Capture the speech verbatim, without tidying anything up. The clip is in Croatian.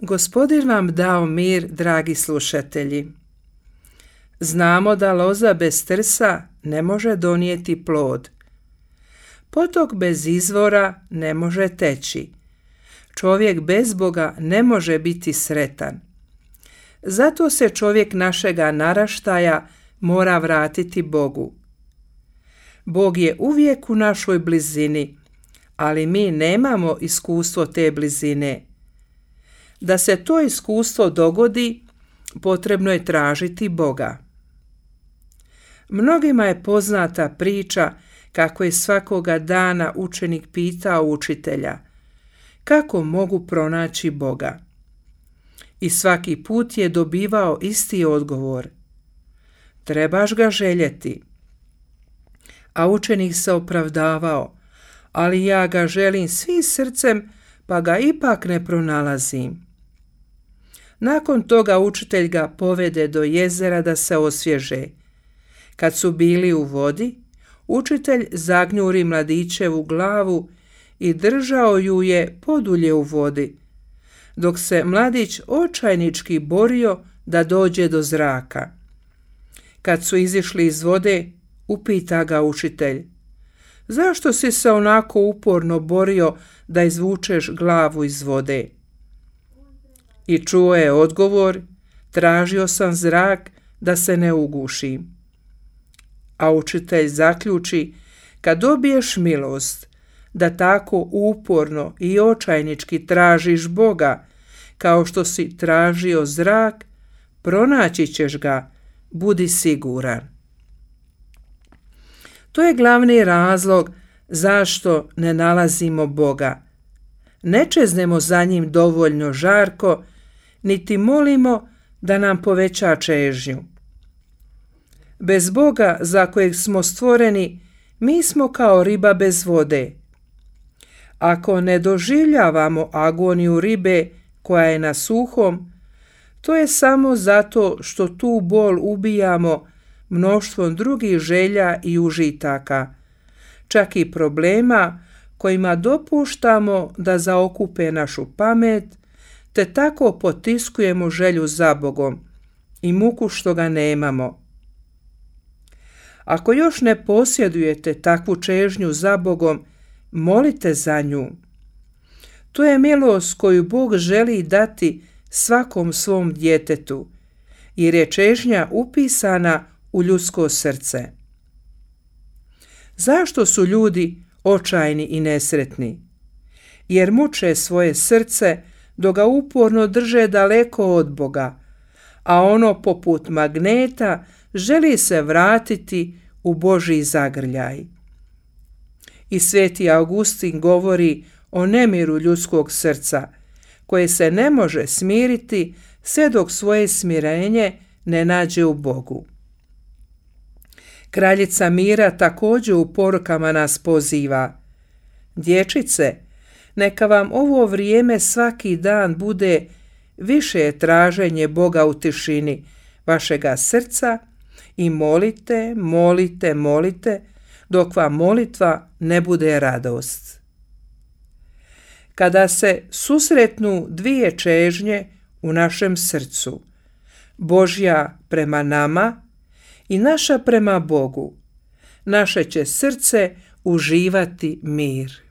Gospodin vam dao mir, dragi slušatelji. Znamo da loza bez trsa ne može donijeti plod. Potok bez izvora ne može teći. Čovjek bez Boga ne može biti sretan. Zato se čovjek našega naraštaja mora vratiti Bogu. Bog je uvijek u našoj blizini, ali mi nemamo iskustvo te blizine. Da se to iskustvo dogodi, potrebno je tražiti Boga. Mnogima je poznata priča kako je svakoga dana učenik pitao učitelja kako mogu pronaći Boga. I svaki put je dobivao isti odgovor. Trebaš ga željeti. A učenik se opravdavao, ali ja ga želim svim srcem, pa ga ipak ne pronalazim. Nakon toga učitelj ga povede do jezera da se osvježe. Kad su bili u vodi, učitelj zagnjuri mladićevu glavu i držao ju je podulje u vodi, dok se mladić očajnički borio da dođe do zraka. Kad su izišli iz vode, upita ga učitelj: zašto si se onako uporno borio da izvučeš glavu iz vode? I čuo je odgovor: tražio sam zrak da se ne ugušim. A učitelj zaključi: kad dobiješ milost da tako uporno i očajnički tražiš Boga, kao što si tražio zrak, pronaći ćeš ga, budi siguran. To je glavni razlog zašto ne nalazimo Boga. Ne čeznemo za njim dovoljno žarko, niti molimo da nam poveća čežnju. Bez Boga za kojeg smo stvoreni, mi smo kao riba bez vode. Ako ne doživljavamo agoniju ribe koja je na suhom, to je samo zato što tu bol ubijamo mnoštvom drugih želja i užitaka, čak i problema kojima dopuštamo da zaokupe našu pamet, te tako potiskujemo želju za Bogom i muku što ga nemamo. Ako još ne posjedujete takvu čežnju za Bogom, molite za nju. To je milost koju Bog želi dati svakom svom djetetu, jer je čežnja upisana u ljudsko srce. Zašto su ljudi očajni i nesretni? Jer muče svoje srce dok ga uporno drže daleko od Boga, a ono poput magneta želi se vratiti u Božji zagrljaj. I sveti Augustin govori o nemiru ljudskog srca, koje se ne može smiriti sve dok svoje smirenje ne nađe u Bogu. Kraljica mira također u porukama nas poziva: dječice, neka vam ovo vrijeme svaki dan bude više traženje Boga u tišini vašega srca i molite, molite, molite, dok vam molitva ne bude radost. Kada se susretnu dvije čežnje u našem srcu, Božja prema nama i naša prema Bogu, naše će srce uživati mir.